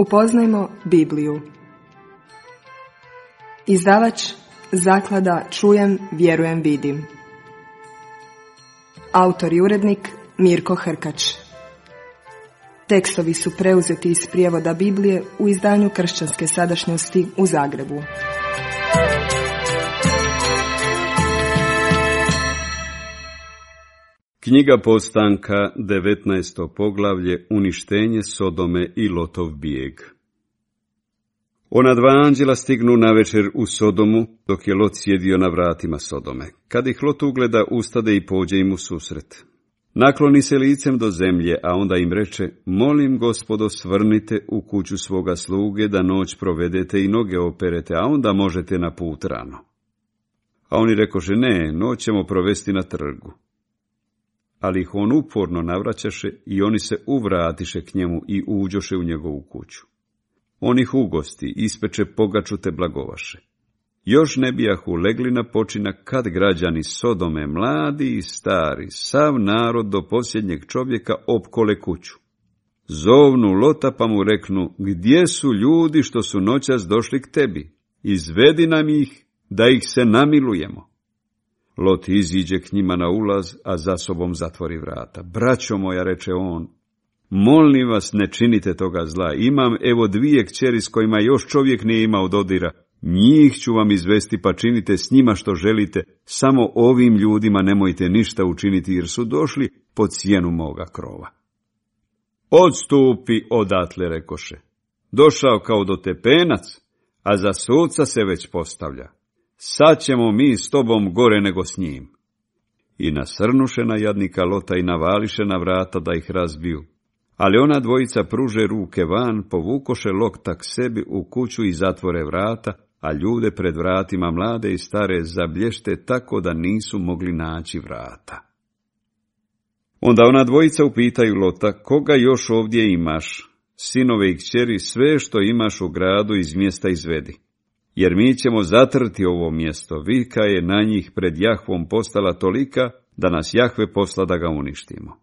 Upoznajmo Bibliju. Izdavač Zaklada Čujem, vjerujem, vidim. Autor i urednik Mirko Hrkač. Tekstovi su preuzeti iz prijevoda Biblije u izdanju Kršćanske sadašnjosti u Zagrebu. Knjiga Postanka, 19. poglavlje, uništenje Sodome i Lotov bijeg. Ona dva anđela stignu navečer u Sodomu, dok je Lot sjedio na vratima Sodome. Kad ih Lot ugleda, ustade i pođe im u susret. Nakloni se licem do zemlje, a onda im reče: molim, Gospodo, svrnite u kuću svoga sluge, da noć provedete i noge operete, a onda možete na put rano. A oni rekoše: ne, noć ćemo provesti na trgu. Ali ih on uporno navraćaše i oni se uvratiše k njemu i uđoše u njegovu kuću. On ih ugosti, ispeče pogaču te blagovaše. Još ne bijahu legli na počinak, kad građani Sodome, mladi i stari, sav narod do posljednjeg čovjeka opkole kuću. Zovnu Lota pa mu reknu: gdje su ljudi što su noćas došli k tebi? Izvedi nam ih, da ih se namilujemo. Lot iziđe k njima na ulaz, a za sobom zatvori vrata. Braćo moja, reče on, molim vas, ne činite toga zla. Imam evo dvije kćeri s kojima još čovjek nije imao dodira. Njih ću vam izvesti, pa činite s njima što želite. Samo ovim ljudima nemojte ništa učiniti, jer su došli pod sjenu moga krova. Odstupi odatle, rekoše. Došao kao do tepenac, a za suca se već postavlja. Sad ćemo mi s tobom gore nego s njim. I nasrnuše na jadnika Lota i navališe na vrata da ih razbiju. Ali ona dvojica pruže ruke van, povukoše Lota k sebi u kuću i zatvore vrata, a ljude pred vratima, mlade i stare, zablješte tako da nisu mogli naći vrata. Onda ona dvojica upitaju Lota: koga još ovdje imaš? Sinove i kćeri, sve što imaš u gradu iz mjesta izvedi. Jer mi ćemo zatrti ovo mjesto. Vika je na njih pred Jahvom postala tolika, da nas Jahve posla da ga uništimo.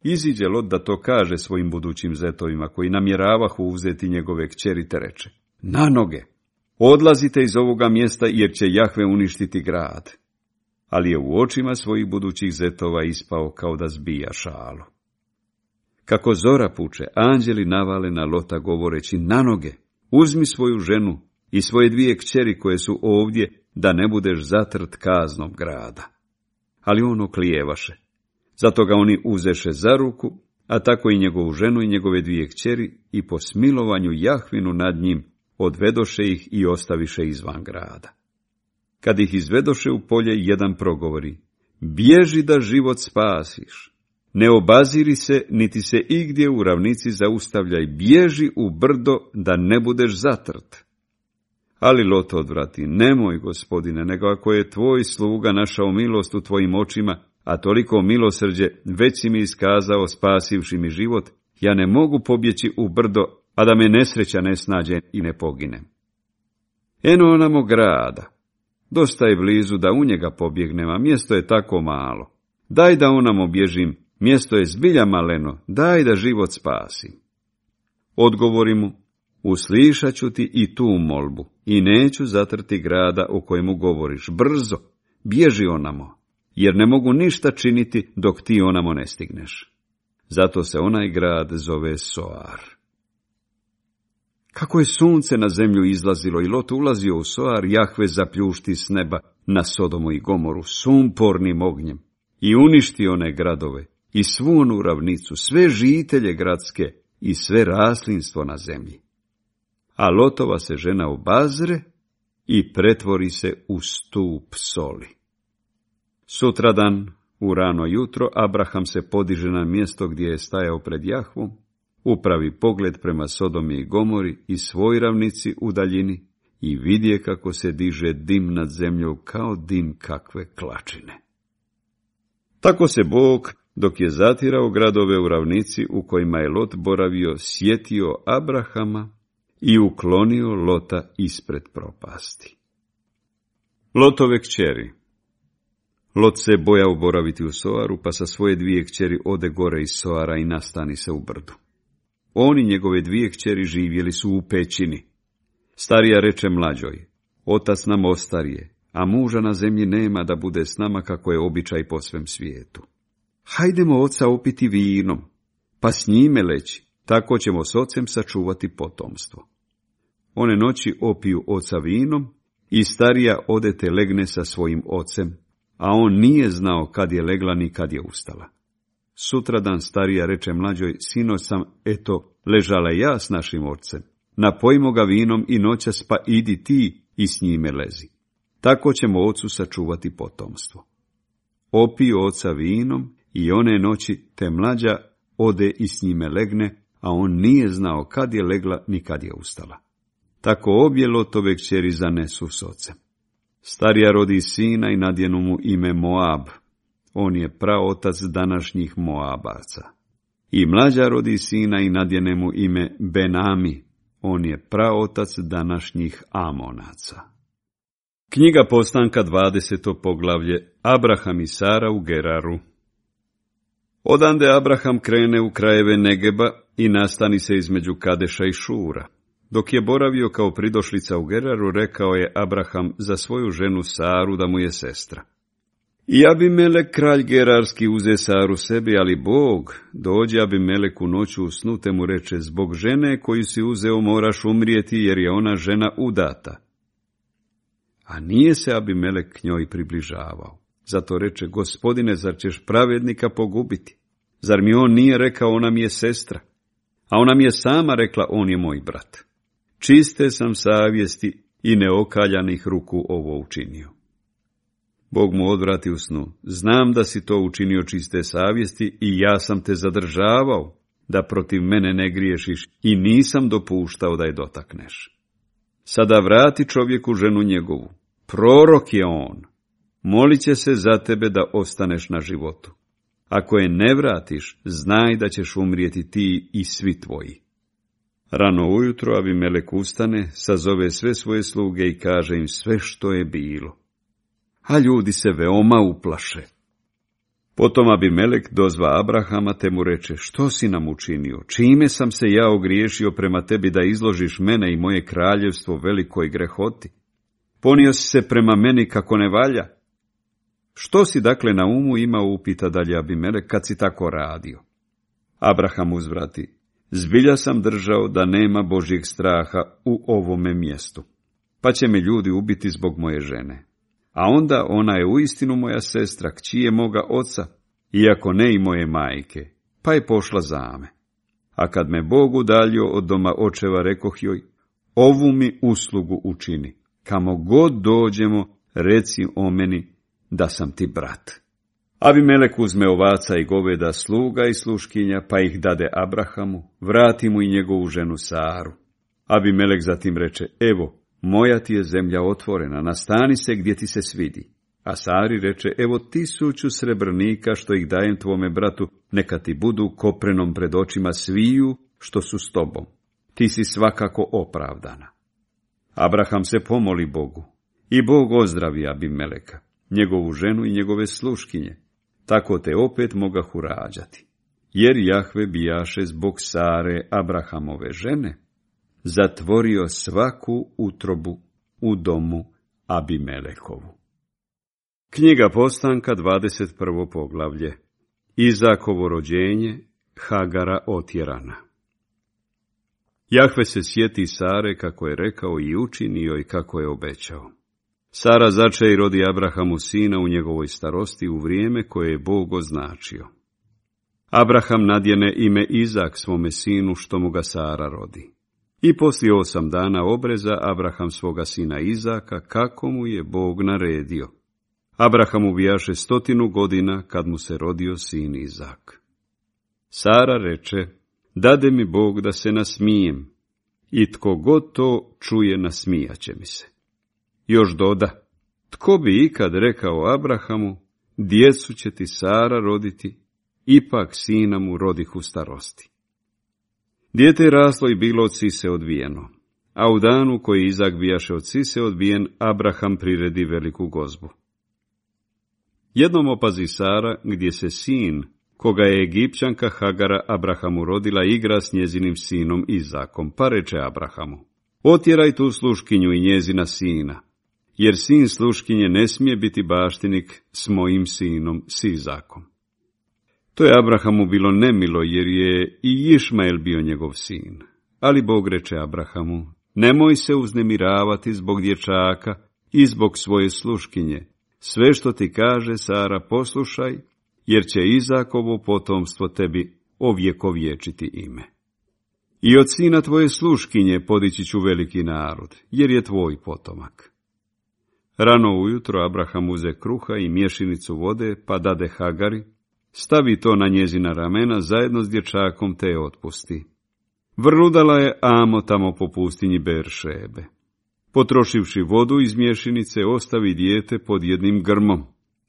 Iziđe Lot da to kaže svojim budućim zetovima, koji namjeravahu uzeti njegove kćeri, te reče: na noge, odlazite iz ovoga mjesta, jer će Jahve uništiti grad. Ali je u očima svojih budućih zetova ispao kao da zbija šalu. Kako zora puče, anđeli navale na Lota govoreći: na noge, uzmi svoju ženu i svoje dvije kćeri koje su ovdje, da ne budeš zatrt kaznom grada. Ali on oklijevaše. Zato ga oni uzeše za ruku, a tako i njegovu ženu i njegove dvije kćeri, i po smilovanju Jahvinu nad njim odvedoše ih i ostaviše izvan grada. Kad ih izvedoše u polje, jedan progovori: bježi da život spasiš. Ne obaziri se, niti se igdje u ravnici zaustavljaj, bježi u brdo, da ne budeš zatrt. Ali Lot odvrati: nemoj, Gospodine, nego ako je tvoj sluga našao milost u tvojim očima, a toliko milosrđe već si mi iskazao spasivši mi život, ja ne mogu pobjeći u brdo, a da me nesreća ne snađe i ne poginem. Eno onamo grada, dosta je blizu da u njega pobjegnem, a mjesto je tako malo. Daj da onamo bježim, mjesto je zbilja maleno, daj da život spasim. Odgovori mu: uslišat ću ti i tu molbu i neću zatrti grada o kojemu govoriš. Brzo, bježi onamo, jer ne mogu ništa činiti dok ti onamo ne stigneš. Zato se onaj grad zove Soar. Kako je sunce na zemlju izlazilo i Lot ulazio u Soar, Jahve zapljušti s neba na Sodomu i Gomoru sumpornim ognjem i uništi one gradove i svu onu ravnicu, sve žitelje gradske i sve raslinstvo na zemlji. A Lotova se žena obazre i pretvori se u stup soli. Sutradan, u rano jutro, Abraham se podiže na mjesto gdje je stajao pred Jahvom, upravi pogled prema Sodomi i Gomori i svoj ravnici u daljini i vidje kako se diže dim nad zemljom kao dim kakve klačine. Tako se Bog, dok je zatirao gradove u ravnici u kojima je Lot boravio, sjetio Abrahama i uklonio Lota ispred propasti. Lotove kćeri. Lot se bojao boraviti u Soaru, pa sa svoje dvije kćeri ode gore iz Soara i nastani se u brdu. On i njegove 2 kćeri živjeli su u pećini. Starija reče mlađoj, otac nam ostarije, a muža na zemlji nema da bude s nama kako je običaj po svem svijetu. Hajdemo oca opiti vinom, pa s njime leći, tako ćemo s ocem sačuvati potomstvo. One noći opiju oca vinom i starija odete legne sa svojim ocem, a on nije znao kad je legla ni kad je ustala. Sutradan starija reče mlađoj, sinoć sam, ležala ja s našim ocem. Napojimo ga vinom i noćas, pa idi ti i s njime lezi. Tako ćemo ocu sačuvati potomstvo. Opiju oca vinom i one noći te mlađa ode i s njime legne, a on nije znao kad je legla ni kad je ustala. Tako obje Lotove kćeri zanesu s ocem. Starija rodi sina i nadjenu mu ime Moab. On je praotac današnjih Moabaca. I mlađa rodi sina i nadjene mu ime Benami. On je praotac današnjih Amonaca. Knjiga Postanka, 20. poglavlje. Abraham i Sara u Geraru. Odande Abraham krene u krajeve Negeba i nastani se između Kadeša i Šura. Dok je boravio kao pridošlica u Geraru, rekao je Abraham za svoju ženu Saru da mu je sestra. I Abimelek, kralj Gerarski, uze Saru sebi, ali Bog dođe Abimelek u noću u snu, te mu reče, zbog žene koju si uzeo moraš umrijeti, jer je ona žena udata. A nije se Abimelek k njoj približavao. Zato reče, Gospodine, zar ćeš pravednika pogubiti? Zar mi on nije rekao, ona mi je sestra? A ona mi je sama rekla, on je moj brat. Čiste sam savjesti i neokaljanih ruku ovo učinio. Bog mu odvrati u snu, znam da si to učinio čiste savjesti i ja sam te zadržavao, da protiv mene ne griješiš i nisam dopuštao da je dotakneš. Sada vrati čovjeku ženu njegovu, prorok je on, molit će se za tebe da ostaneš na životu. Ako je ne vratiš, znaj da ćeš umrijeti ti i svi tvoji. Rano ujutro Abimelek ustane, sazove sve svoje sluge i kaže im sve što je bilo. A ljudi se veoma uplaše. Potom Abimelek dozva Abrahama te mu reče, što si nam učinio? Čime sam se ja ogriješio prema tebi da izložiš mene i moje kraljevstvo velikoj grehoti? Ponio si se prema meni kako ne valja. Što si dakle na umu imao, upita dalje Abimelek, kad si tako radio? Abraham uzvrati, zbilja sam držao da nema Božjeg straha u ovome mjestu, pa će me ljudi ubiti zbog moje žene. A onda ona je uistinu moja sestra, kći je moga oca, iako ne i moje majke, pa je pošla za me. A kad me Bog udaljio od doma očeva, rekoh joj, ovu mi uslugu učini, kamo god dođemo, reci o meni da sam ti brat. Abimelek uzme ovaca i goveda, sluga i sluškinja, pa ih dade Abrahamu, vrati mu i njegovu ženu Saru. Abimelek zatim reče, evo, moja ti je zemlja otvorena, nastani se gdje ti se svidi. A Sari reče, evo 1000 srebrnika što ih dajem tvome bratu, neka ti budu koprenom pred očima sviju što su s tobom. Ti si svakako opravdana. Abraham se pomoli Bogu i Bog ozdravi Abimeleka, njegovu ženu i njegove sluškinje. Tako te opet mogahu rađati. Jer Jahve bijaše zbog Sare, Abrahamove žene, zatvorio svaku utrobu u domu Abimelekovu. Knjiga Postanka, 21. poglavlje. Izakovo rođenje, Hagara otjerana. Jahve se sjeti Sare kako je rekao i učinio i kako je obećao. Sara začeje i rodi Abrahamu sina u njegovoj starosti u vrijeme koje je Bog označio. Abraham nadjene ime Izak svome sinu što mu ga Sara rodi. I poslije 8 dana obreza Abraham svoga sina Izaka kako mu je Bog naredio. Abrahamu bijaše 100 godina kad mu se rodio sin Izak. Sara reče, dade mi Bog da se nasmijem, i tko god to čuje nasmijaće mi se. Još doda, tko bi ikad rekao Abrahamu, djecu će ti Sara roditi, ipak sina mu rodih u starosti. Dijete je raslo i bilo od sise odbijeno, a u danu koji Izak bijaše od sise odbijen, Abraham priredi veliku gozbu. Jednom opazi Sara, gdje se sin, koga je Egipćanka Hagara Abrahamu rodila, igra s njezinim sinom Izakom, pa reče Abrahamu: otjeraj tu sluškinju i njezina sina, jer sin sluškinje ne smije biti baštinik s mojim sinom, s Izakom. To je Abrahamu bilo nemilo, jer je i Išmael bio njegov sin. Ali Bog reče Abrahamu: nemoj se uznemiravati zbog dječaka i zbog svoje sluškinje. Sve što ti kaže Sara poslušaj, jer će Izakovo potomstvo tebi ovjekovječiti ime. I od sina tvoje sluškinje podići ću veliki narod, jer je tvoj potomak. Rano ujutro Abraham uze kruha i mješinicu vode, pa dade Hagari, stavi to na njezina ramena zajedno s dječakom, te je otpusti. Vrludala je amo tamo po pustinji Beršebe. Potrošivši vodu iz mješinice, ostavi dijete pod jednim grmom,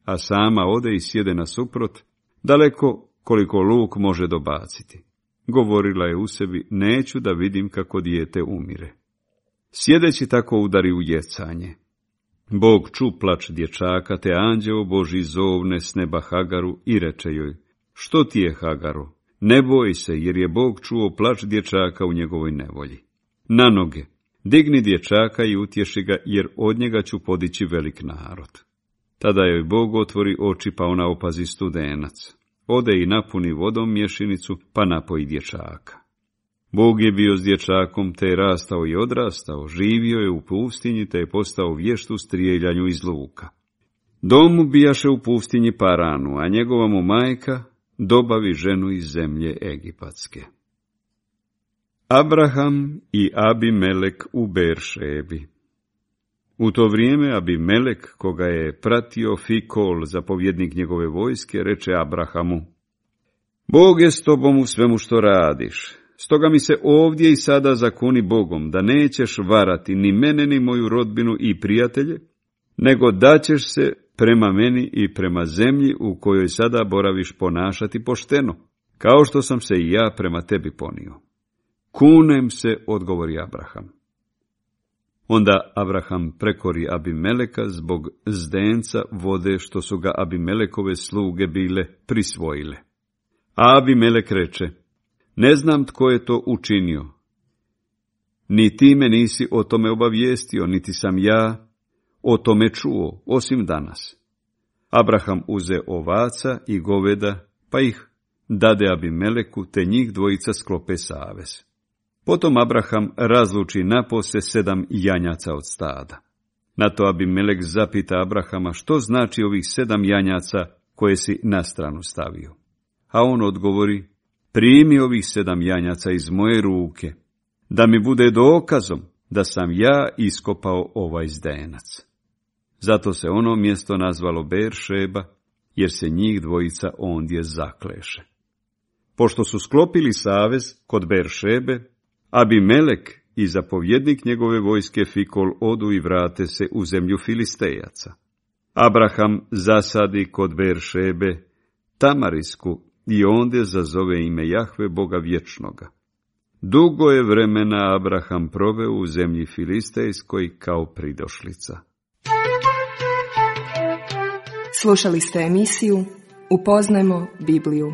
a sama ode i sjede nasuprot, daleko koliko luk može dobaciti. Govorila je u sebi: neću da vidim kako dijete umire. Sjedeći tako udari u jecanje. Bog ču plač dječaka, te anđeo Božji zovne s neba Hagaru i reče joj: što ti je, Hagaro? Ne boj se, jer je Bog čuo plač dječaka u njegovoj nevolji. Na noge, digni dječaka i utješi ga, jer od njega ću podići velik narod. Tada joj Bog otvori oči, pa ona opazi studenac. Ode i napuni vodom mješinicu, pa napoji dječaka. Bog je bio s dječakom, te je rastao i odrastao, živio je u pustinji, te je postao vješt u strijeljanju iz luka. Dom mu bijaše u pustinji Paranu, a njegova mu majka dobavi ženu iz zemlje Egipatske. Abraham i Abimelek u Beršebi. U to vrijeme Abimelek, koga je pratio Fikol, zapovjednik njegove vojske, reče Abrahamu: Bog je s tobom u svemu što radiš. Stoga mi se ovdje i sada zakuni Bogom, da nećeš varati ni mene ni moju rodbinu i prijatelje, nego da ćeš se prema meni i prema zemlji u kojoj sada boraviš ponašati pošteno, kao što sam se i ja prema tebi ponio. Kunem se, odgovori Abraham. Onda Abraham prekori Abimeleka zbog zdenca vode što su ga Abimelekove sluge bile prisvojile. A Abimelek reče: ne znam tko je to učinio. Ni ti me nisi o tome obavijestio, niti sam ja o tome čuo, osim danas. Abraham uze ovaca i goveda, pa ih dade Abimeleku, te njih dvojica sklope savez. Potom Abraham razluči napose 7 janjaca od stada. Na to Abimelek zapita Abrahama: što znači ovih 7 janjaca koje si na stranu stavio? A on odgovori: primi ovih 7 janjaca iz moje ruke, da mi bude dokazom da sam ja iskopao ovaj zdenac. Zato se ono mjesto nazvalo Beršeba, jer se njih dvojica ondje zakleše. Pošto su sklopili savez kod Beršebe, Abimelek i zapovjednik njegove vojske Fikol odu i vrate se u zemlju Filistejaca. Abraham zasadi kod Beršebe tamarisku i ondje zazove ime Jahve, Boga vječnoga. Dugo je vremena Abraham proveo u zemlji Filistejskoj kao pridošlica. Slušali ste emisiju Upoznajmo Bibliju.